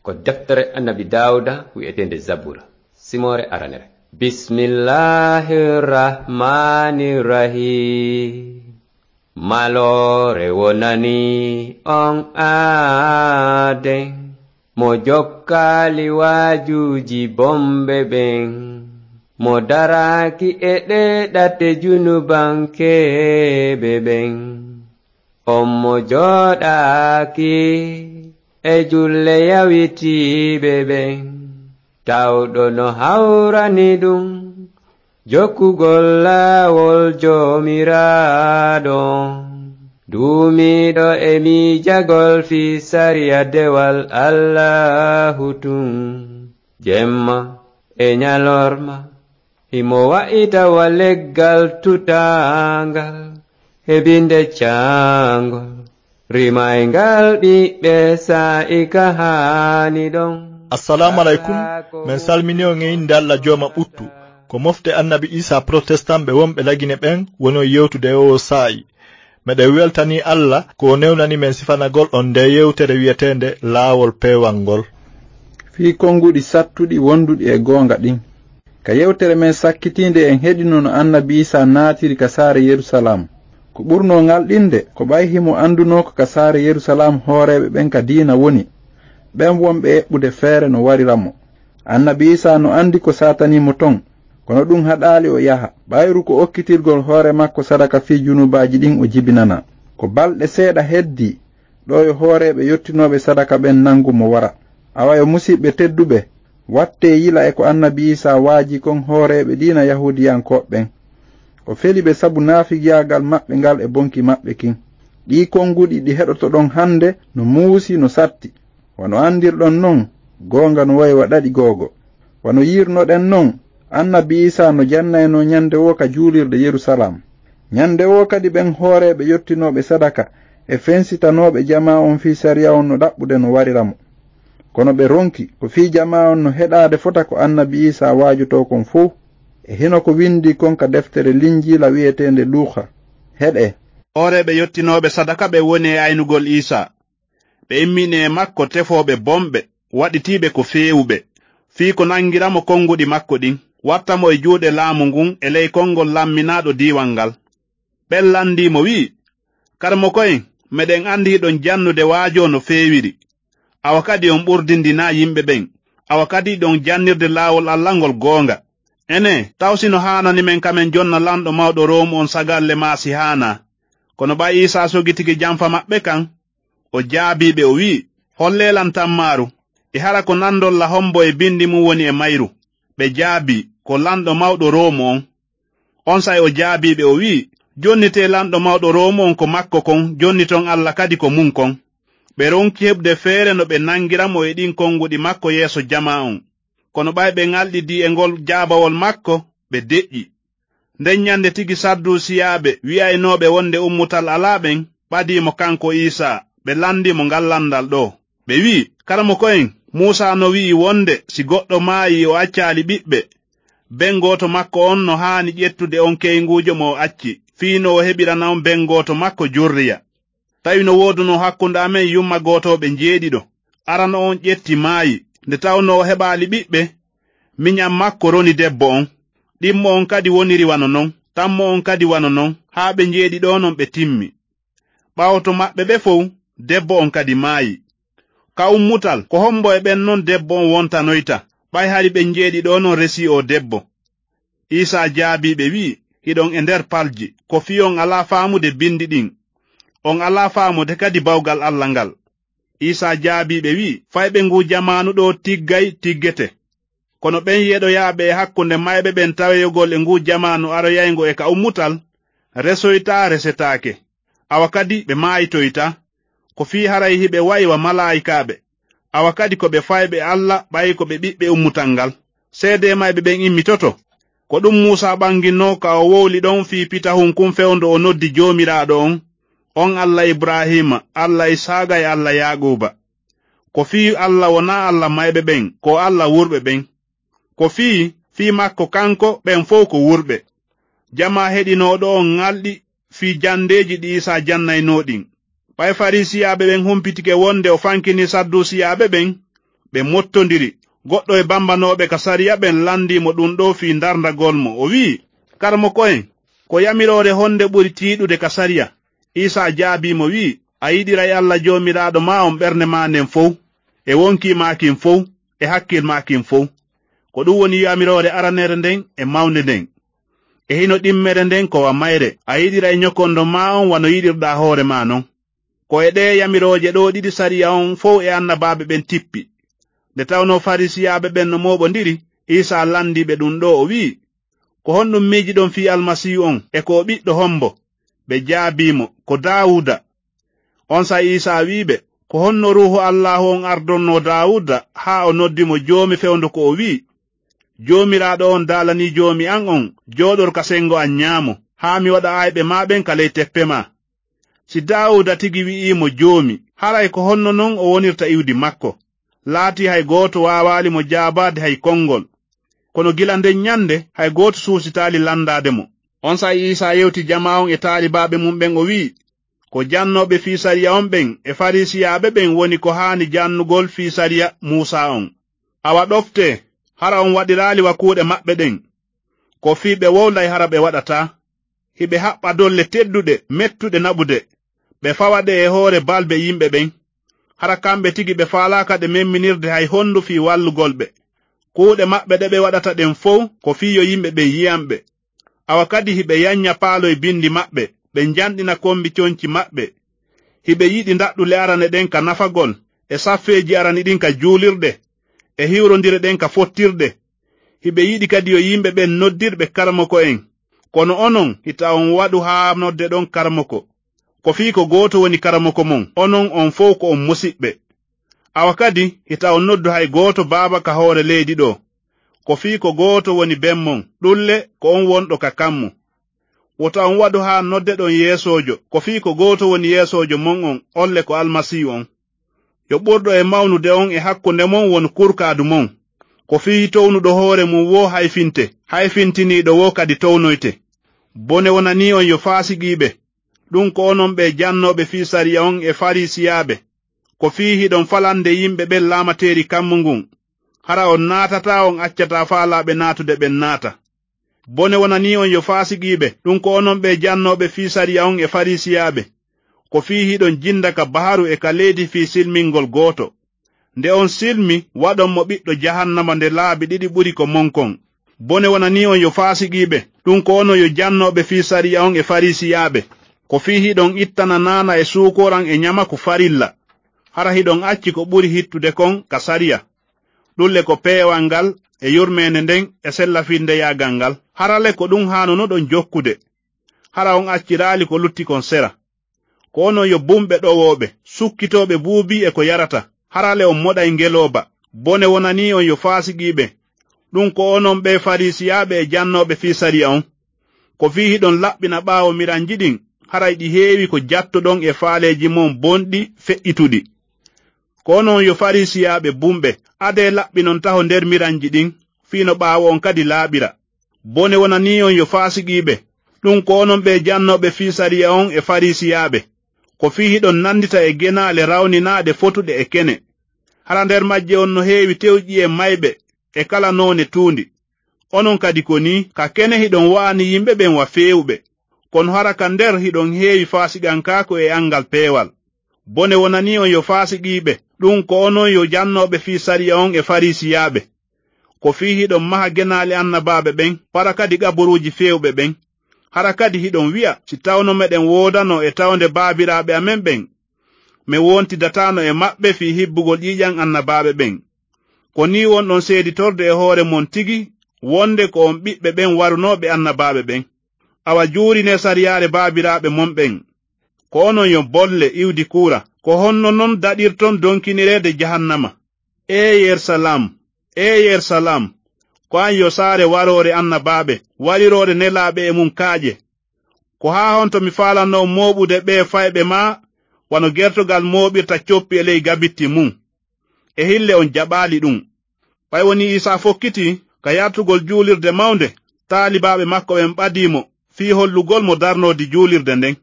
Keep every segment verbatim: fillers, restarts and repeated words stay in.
Ko deftere Annabi Daawuda wi'eteende Zabura, simoore aranere. Bismillahir Rahmanir Rahim. Maloore wonani on aaden, mo jokkaali waajuuji bomɓe ɓen, mo daraaki e ɗee ɗate junubankeeɓe ɓen. On mo jooɗaaki e julle yawitiiɓe ɓen, tawɗo no hawrani ɗum jokkugol laawol Joomiraaɗo on. Duumiiɗo e miijagol fii sariya dewal Allaahu tun, jemma e ɲalorma, himo wa'ita wa leggal tutaangal, heɓinde caangol, rimayngal ɓiɓɓe saa'i ka haani ɗon. Assalamu alaikum. Men salmini on e innde Alla Jooma ɓuttu. Ko mofte Annabi Isa Protestant ɓe wonɓe Lagine ɓen woni on yewtude e oo saa'i. Meɗen weltanii Alla ko o newnani men sifanagol on ndee yewtere wi'eteende Laawol Peewal ngol. Fii konnguɗi sattuɗi wonduɗi e goonga ɗin. Ka yewtere men sakkitiinde en heɗino no Annabi Isa naatiri ka saare Yerusalaam. Ko ɓurnoo ŋalɗinde ko ɓay himo anndunoo ko ka saare Yerusalaam hooreeɓe ɓen ka diina woni, ɓen wonɓe eɓɓude feere no warira mo. Annabi Isa no anndi ko saatanii mo ton, kono ɗum haɗaali o yaha, ɓayru ko okkitirgol hoore makko sadaka fii junubaaji ɗin o jibinanaa. Ko balɗe seeɗa heddii, ɗoo yo hooreeɓe yottinooɓe sadaka ɓen nanngu mo wara. Awa yo musiɓɓe tedduɓe, wattee yila e ko Annabi Isa waajii kon hooreeɓe diina Yahuudiyankooɓe ɓen. O feli ɓe sabu naafigiyaagal maɓɓe ngal e bonki maɓɓe kin. Ɗii konnguɗi ɗi heɗotoɗon hannde no muusi, no satti. Wano anndirɗon non, goonga no wayi wa ɗaɗi googo. Wano yi'irnoɗen non, Annabi Isa no jannaynoo ɲande woo ka juulirde Yerusalaam. Ɲande woo kadi ɓen hooreeɓe yottinooɓe sadaka e fensitanooɓe jamaa on fii sariya on no ɗaɓɓude no warira mo. Kono ɓe ronki ko fii jamaa on no heɗaade fota ko Annabi Isa waajotoo kon fow. E hino ko windii kon ka deftere Linjiila wi'eteende Luuka. Heɗee. Hooreeɓe yottinooɓe sadaka ɓe woni e aynugol Isa. Ɓe immini e makko tefooɓe bomɓe, waɗitiiɓe ko feewuɓe, fii ko nangira mo konnguɗi makko ɗin, watta mo e juuɗe laamu ngun e ley konngol lamminaaɗo diiwal ngal. Ɓen landii mo wi'i, "Karamoko en, meɗen andi hiɗon jannude waajoo no feewiri. Awa kadi on ɓurdindinaa yimɓe ɓen. Awa kadi hiɗon jannirde laawol Alla ngol goonga. Enee, taw si no haanani men ka men jonna lanɗo mawɗo Roomu on sagalle maa si haanaa?" Kono ɓay Iisaa sogitike janfa maɓɓe kan, o jaabii ɓe, o wi'i, "Hollee lan tammaaru." E hara ko nandolla hombo e bindi mun woni e mayru? Ɓe jaabii, "Ko lanɗo mawɗo Roomu on." Onsay o jaabii ɓe, o wi'i, "Jonnitee lanɗo mawɗo Roomu on ko makko kon, jonniton Alla kadi ko mun kon." Ɓe ronki heɓude feere no ɓe nangira mo e ɗin konguɗi makko yeeso jamaa on. Kono ɓay ɓe ŋalɗidii e ngol jaabawol makko, ɓe deƴƴi. Nden ɲande tigi Sadduusiyaaɓe wi'aynooɓe wonde ummutal alaa ɓen, ɓadii mo kanko Iisaa, ɓe landii mo ngal landal ɗoo. Ɓe wi'i, "Karamoko en, Muusaa no wi'i wonde si goɗɗo maayii o accaali ɓiɓɓe, ben gooto makko on no haani ƴettude on keynguujo mo o acci, fii no o heɓirana on ben gooto makko jurriya. Tawi no woodunoo hakkunde amen yumma gootooɓe njeeɗiɗo. Arano on ƴetti maayi, nde tawnoo o heɓaali ɓiɓɓe, miɲan makko roni debbo on. Ɗimmo on kadi woniri wano non, tammo on kadi wano non, haa ɓe njeeɗiɗo non ɓe timmi. Ɓaawo to maɓɓe ɓe fow, debbo on kadi maayi. Ka ummutal, ko hombo e ɓen non debbo on wontanoyta, ɓay hari ɓen njeeɗiɗo non resii oo debbo?" Iisaa jaabii ɓe, wi'i, "Hiɗon e nder palji, ko fii on alaa faamude bindi ɗin. On alaa faamude kadi bawgal Alla ngal." Iisaa jaabii ɓe, wi'i, "Fayɓe nguu jamaanu ɗoo tiggay tiggete. Kono ɓen yeɗoyaaɓe e hakkunde mayɓe ɓen taweyoogol e nguu jamaanu aroyayngo e ka ummutal, resoytaa resetaake. Awa kadi ɓe maaytoytaa. Ko fii haray hiɓe wa'i wa malaa'ikaaɓe. Awa kadi ko ɓe fayɓe Alla ɓay ko ɓe ɓiɓɓe ummutal ngal. Seedee mayɓe ɓen immitoto. Ko ɗum Muusaa ɓanginnoo ka o wowli ɗon fii pitahun kun fewndo o noddi Joomiraaɗo on, on Alla Ibraahiima, Alla Isaaqa e Alla Yaaquuba. Ko fii Alla wonaa Alla mayɓe ɓen, ko Alla wurɓe ɓen. Ko fii, fii makko kanko ɓen fow ko wurɓe." Jamaa heɗinooɗo on ŋalɗi fii jandeeji ɗi Iisaa jannaynoo ɗin. Ɓay Fariisiyaaɓe ɓen humpitike wonde o fankinii Sadduusiyaaɓe ɓen, Ɓe mottondiri. Goɗɗo e bambanooɓe ka sariya ɓen landii mo ɗun ɗoo fii ndarndagol mo. O wi'i, "Karamoko en, ko yamiroore honde ɓuri tiiɗude ka sariya?" Iisaa jaabii mo, wi'i, "A yiɗiray Alla Joomiraaɗo maa on ɓernde maa nden fow, e wonkii maa kin fow, e hakkil maa kin fow. Ko ɗun woni yamiroore aranere nden e mawnde nden. E hino ɗimmere nden ko wa mayre, a yiɗiray ñokondo maa on wano yiɗirɗaa hoore maa non. Ko e ɗee yamirooje ɗoo ɗiɗi sariya on fow e annabaaɓe ɓen tippi." Nde tawnoo Fariisiyaaɓe ɓen no mooɓondiri, Iisaa landii ɓe ɗun ɗoo, o wi'i, "Ko honɗun miijiɗon fii Almasiihu on, e ko o ɓiɗɗo hombo?" Ɓe jaabii mo, "Ko Daawuuda." Onsay Iisaa wi'i ɓe, "Ko honno Ruuhu Allaahu on ardonnoo Daawuuda, haa o noddi mo Joomi fewndo ko o wi'i, 'Joomiraaɗo on daalanii Joomi an on, 'Jooɗor ka sengo an ñaamo, haa mi waɗa ayɓe maa ɓen ka ley teppe maa'?" Si Daawuuda tigi wi'ii mo Joomi, haray ko honno non o wonirta iwdi makko? Laatii hay gooto waawaali mo jaabaade hay konngol. Kono gila nden ñande, hay gooto suusitaali landaade mo. Onsay Iisaa yewti jamaa on e taalibaaɓe mun ɓen, o wi'i, "Ko jannooɓe fii sariya on ɓen e Fariisiyaaɓe ɓen woni ko haani jannugol fii sariya Muusaa on. Awa ɗoftee, hara on waɗiraali wa kuuɗe maɓɓe ɗen. Ko fii ɓe wowlay hara ɓe waɗataa. Hiɓe haɓɓa dolle tedduɗe, mettuɗe naɓude. Ɓe fawa ɗe e hoore balbe yimɓe ɓen. Hara kamɓe tigi ɓe faalaaka ɗe memminirde hay hondu fii wallugol ɓe. Kuuɗe maɓɓe ɗe ɓe waɗata ɗen fow ko fii yo yimɓe ɓen yi'an ɓe. Awa kadi hiɓe yanña paaloy bindi maɓɓe, ɓe njanɗina kombi conci maɓɓe. Hiɓe yiɗi ndaɗɗule arane ɗen ka nafagol, e saffeeji arani ɗin ka juulirɗe, e hiwrondire ɗen ka fottirɗe. Hiɓe yiɗi kadi yo yimɓe ɓen noddirɓe karamoko en. Kono onon, hita on waɗu haa noddeɗon karamoko. Ko fii ko gooto woni karamoko mon, onon on fow ko on musiɓɓe. Awa kadi, hita on noddu hay gooto baaba ka hoore leydi ɗoo. Ko fii ko gooto woni ben mon, ɗun le ko on wonɗo ka kammu. Wota on waɗu haa noddeɗon yeesoojo, ko fii ko gooto woni yeesoojo mon on, on le ko Almasiihu on. Yo ɓurɗo e mawnude on e hakkunde mon wonu kurkaadu mon. Ko fii townuɗo hoore mun woo hayfinte, hayfintiniiɗo woo kadi townoyte. Bone wonanii on yo faasiqiiɓe, ɗun ko onon ɓee jannooɓe fii sariya on e Fariisiyaaɓe. Ko fii hiɗon falande yimɓe ɓen laamateeri kammu ngun. Hara on naatataa, on accataa faalaaɓe naatude ɓen naata. Bone wonanii on yo faasiqiiɓe, ɗun ko onon ɓee jannooɓe fii sariya on e Fariisiyaaɓe. Ko fii hiɗon jinda ka baharu e ka leydi fii silmingol gooto. Nde on silmi, waɗon mo ɓiɗɗo jahannama nde laabi ɗiɗi ɓuri ko mon kon. Bone wonanii on yo faasiqiiɓe, ɗun ko onon yo jannooɓe fii sariya on e Fariisiyaaɓe. Ko fii hiɗon ittana naana e suukoran e ñamaku farilla. Hara hiɗon acci ko ɓuri hittude kon ka sariya. Ɗun le ko peewal ngal e yurmeende nden e sellafindeyaagal ngal. Hara le ko ɗun haanunoɗon jokkude. Hara on acciraali ko lutti kon sera. Ko onon yo bumɓe ɗowooɓe, sukkitooɓe buubii e ko yarata. Hara le on moɗay ngelooba. Bone wonanii on yo faasiqiiɓe. Ɗun ko onon ɓee Fariisiyaaɓe e jannooɓe fii sariya on. Ko fii hiɗon laɓɓina ɓaawo miranji ɗin, haray ɗi heewi ko jattoɗon e faaleeji mon bonɗi feƴƴituɗi. Ko onon yo Fariisiyaaɓe bumɓe, adee laɓɓinon taho nder miranji ɗin, fii no ɓaawo on kadi laaɓira. Bone wonanii on yo faasiqiiɓe, ɗun ko onon ɓee jannooɓe fii sariya on e Fariisiyaaɓe. Ko fii hiɗon nandita e genaale rawninaaɗe fotuɗe e kene. Hara nder majje on no heewi tewƴi e mayɓe e kala noone tuundi. Onon kadi ko nii, ka kene hiɗon wa'ani yimɓe ɓen wa feewuɓe. Kono hara ka nder hiɗon heewi faasiqankaaku e anngal peewal. Bone wonanii on yo faasiqiiɓe, ɗun ko onon yo jannooɓe fii sariya on e Fariisiyaaɓe. Ko fii hiɗon maha genaale annabaaɓe ɓen, para kadi qaburuuji feewɓe ɓen. Hara kadi hiɗon wi'a, si tawno meɗen woodanoo e tawnde baabiraaɓe amen ɓen, men wontidataano e maɓɓe fii hibbugol ƴiiƴan annabaaɓe ɓen. Ko nii wonɗon seeditorde e hoore mon tigi wonde ko on ɓiɓɓe ɓen warunooɓe annabaaɓe ɓen. Awa juurinee sariyaare baabiraaɓe mon ɓen. Ko onon yo bolle iwdi kuura. Ko honno non daɗirton donkinireede jahannama? Ee Yerusalaam, ee Yerusalaam, ko an yo saare waroore annabaaɓe, wariroore nelaaɓe e mun kaaƴe! Ko haa honto mi faalanoo mooɓude ɓee fayɓe maa wano gertogal mooɓirta coppi e ley gabitti mun? E hille on jaɓaali ɗun. Ɓay wonii Iisaa fokkitii ka yartugol juulirde mawnde, taalibaaɓe makko ɓen ɓadii mo fii hollugol mo darnoodi juulirde nden.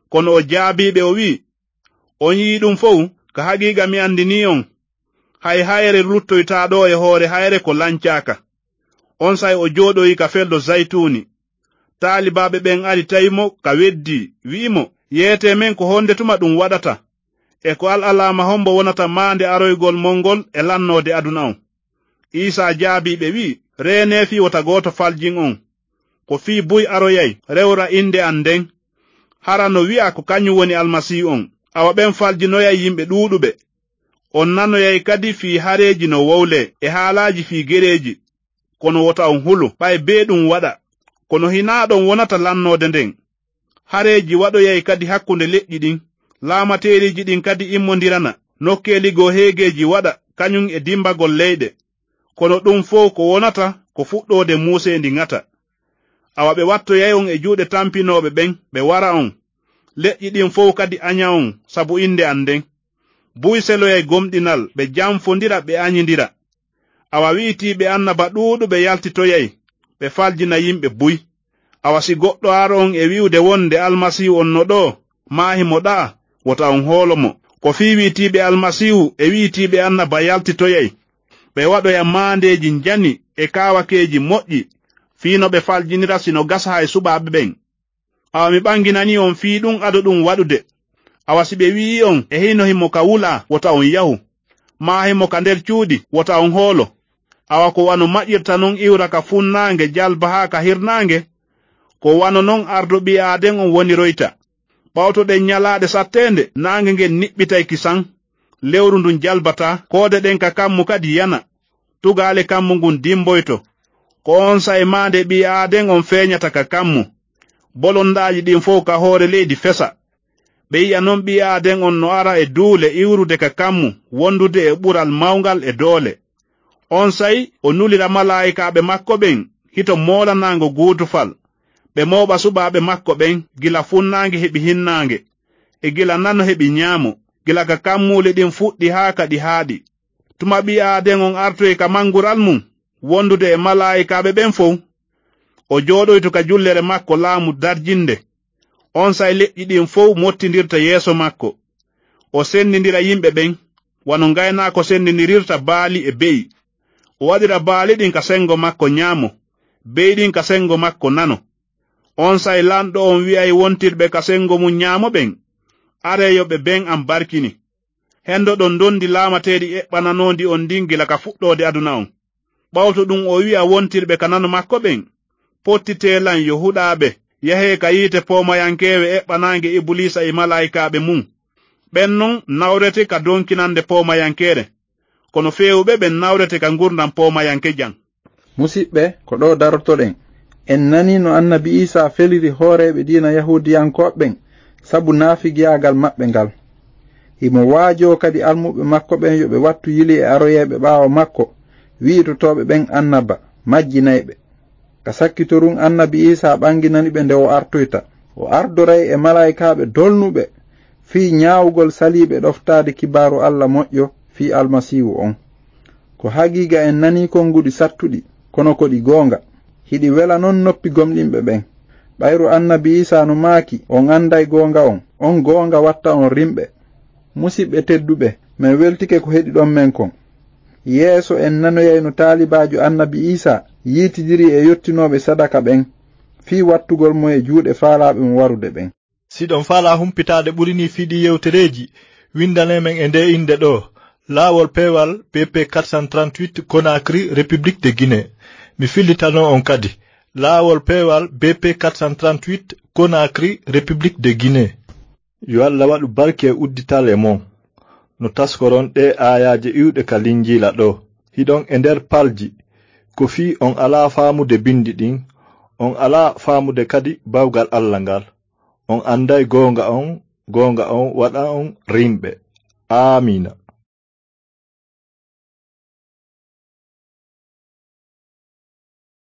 Kono o jaabii ɓe, o wi'i, "On yi'ii ɗun fow, ka haqiiqa mi andinii on." Hay hayre luttoytaa ɗoo e hoore hayre ko lancaaka. Onsay o jooɗoyi ka feldo Zaytuuni. Taalibaaɓe ɓen ari tawi mo ka weddii, wi'i mo, "Yeetee men ko honde tuma ɗum waɗata? E ko al alaama hombo wonata maande aroygol mon ngol e lannoode aduna on?" Iisaa jaabii ɓe, wi'i, "Reenee fii wota gooto faljin on. Ko fii buy aroyay, rewra innde an nden. Hara no wi'a ko kañum woni Almasiihu on. Awa ɓen faljinoyay yimɓe ɗuuɗuɓe. On nanoyay kadi fii hareeji no wowlee, e haalaaji fii gereeji. Kono wota on hulu, ɓay bee ɗum waɗa. Kono hinaa ɗon wonata lannoode nden. Hareeji waɗoyay kadi hakkunde leƴƴi ɗin. Laamateeriiji ɗin kadi immondirana, nokkeeli goo heegeeji waɗa, kañum e dimbagol leyɗe. Kono ɗum fow ko wonata ko fuɗɗoode muuseendi ŋata. Awa ɓe wattoyay on e juuɗe tampinooɓe ɓen, ɓe wara on. Leƴƴi ɗin fow kadi aña on sabu innde an nden. Buy seloyay gomɗinal, ɓe janfondira, ɓe añindira. Awa wi'itiiɓe annaba ɗuuɗuɓe yaltitoyay, ɓe faljina yimɓe buy. Awa si goɗɗo ar on e wi'ude wonde Almasiihu on no ɗoo, maa himo ɗaa, wota on hoolo mo. Ko fii wi'itiiɓe Almasiihu e wi'itiiɓe annaba yaltitoyay, ɓe waɗoya maandeeji njani e kaawakeeji moƴƴi, fii no ɓe faljinira si no gasa hay suɓaaɓe ɓen. Awa mi ɓanginanii on fii ɗum ado ɗum waɗude. Awa si ɓe wi'ii on e hino himo ka wulaa, wota on yahu. Maa himo ka nder cuuɗi, wota on hoolo. Awa ko wano maƴirta non iwra ka funnaange jalba haa ka hirnaange, ko wano non ardo ɓii aaden on woniroyta. Ɓawtoɗen ñalaaɗe satteende, naange ngen niɓɓitay kisan, lewru ndun jalbataa, koode ɗen ka kammu kadi yana, tugaale kammu ngun dimboyto. Ko on saa'i maande ɓii aaden on feeñata ka kammu, bolondaaji ɗin fow ka hoore leydi fesa. Ɓe yi'a non ɓii aaden on no ara e duule iwrude ka kammu, wondude e ɓural mawngal e doole. On saa'i o nulira malaa'ikaaɓe makko ɓen hito moolanaango guutufal, ɓe mooɓa suɓaaɓe makko ɓen gila funnaange heɓi hinnaange, e gila nano heɓi ñaamo, gila ka kammuuli ɗin fuɗɗi haa ka ɗi haaɗi. Tuma ɓii aaden on artoyi ka mangural mum, wondude e malaa'ikaaɓe ɓen fow, o jooɗoyto ka jullere makko laamu darjinde. On saa'i leƴƴi ɗin fow mottindirta yeeso makko. O sendindira yimɓe ɓen, wano ngaynaako sendindirirta baali e be'i. O waɗira baali ɗin ka sengo makko ñaamo, be'i ɗin ka sengo makko nano. On saa'i lanɗo on wi'ay wontirɓe ka sengo mum ñaamo ɓen, "Aree yo ɓe ben am barkini. Hendoɗon ndondi laamateeri eɓɓananoondi on ndin gila ka fuɗɗoode aduna on." Ɓawto ɗum o wi'a wontirɓe ka nano makko ɓen, "Pottitee lan yo huɗaaɓe, yahee ka yiite poomayankeewe eɓɓanaange Ibuliisa e malaa'ikaaɓe mum. Ɓen non nawrete ka donkinande poomayankeere, kono feewuɓe ɓen nawrete ka ngurndan poomayankejan." Musiɓɓe, ko ɗo darotoɗen. En nanii no annabi Iisaa feliri hooreeɓe diina Yahuudiyankooɓe ɓen sabu naafigiyaagal maɓɓe ngal. Himo waajoo kadi almuɓɓe makko ɓen yo ɓe wattu yili e aroyeeɓe ɓaawo makko, wi'itotooɓe ɓen annaba, majjinayɓe. Ka sakkitorum annabi Iisaa ɓanginani ɓe nde o artoyta. O ardoray e malaa'ikaaɓe dolnuɓe fii ñaawugol saliiɓe ɗoftaade kibaaru Alla moƴƴo fii Almasiihu on. Ko haqiiqa en nanii konguɗi sattuɗi, kono ko ɗi goonga. Hiɗi wela non noppi gomɗinɓe ɓen. Ɓayru annabi Iisaa no maaki, "On anday goonga on, on goonga watta on rimɓe." Musiɓɓe tedduɓe, men weltike ko heɗiɗon men kon. Yeeso en nanoyay no taalibaajo annabi Iisaa yiitidiri e yottinooɓe sadaka ɓen fii wattugol mo e juuɗe faalaaɓe mo warude ɓen. Si ɗon faalaa humpitaade ɓuri nii fii ɗii yewtereeji, windanee men e ndee innde ɗoo, Laawol Peewal B P quatre cent trente-huit, Conakry, République de Guinée. Mi fillitanoo on kadi, Laawol Peewal B P quatre cent trente-huit, Conakry, République de Guinée. Yo Alla waɗu barke e uddital e mon, no taskoron ɗee aayaaje iwɗe ka Linjiila ɗoo. Hiɗon e nder palji, ko fii on alaa faamude binndi ɗin, on alaa faamude kadi bawgal Alla ngal. On anday goonga on, goonga on waɗa on rimɓe. Aamiina.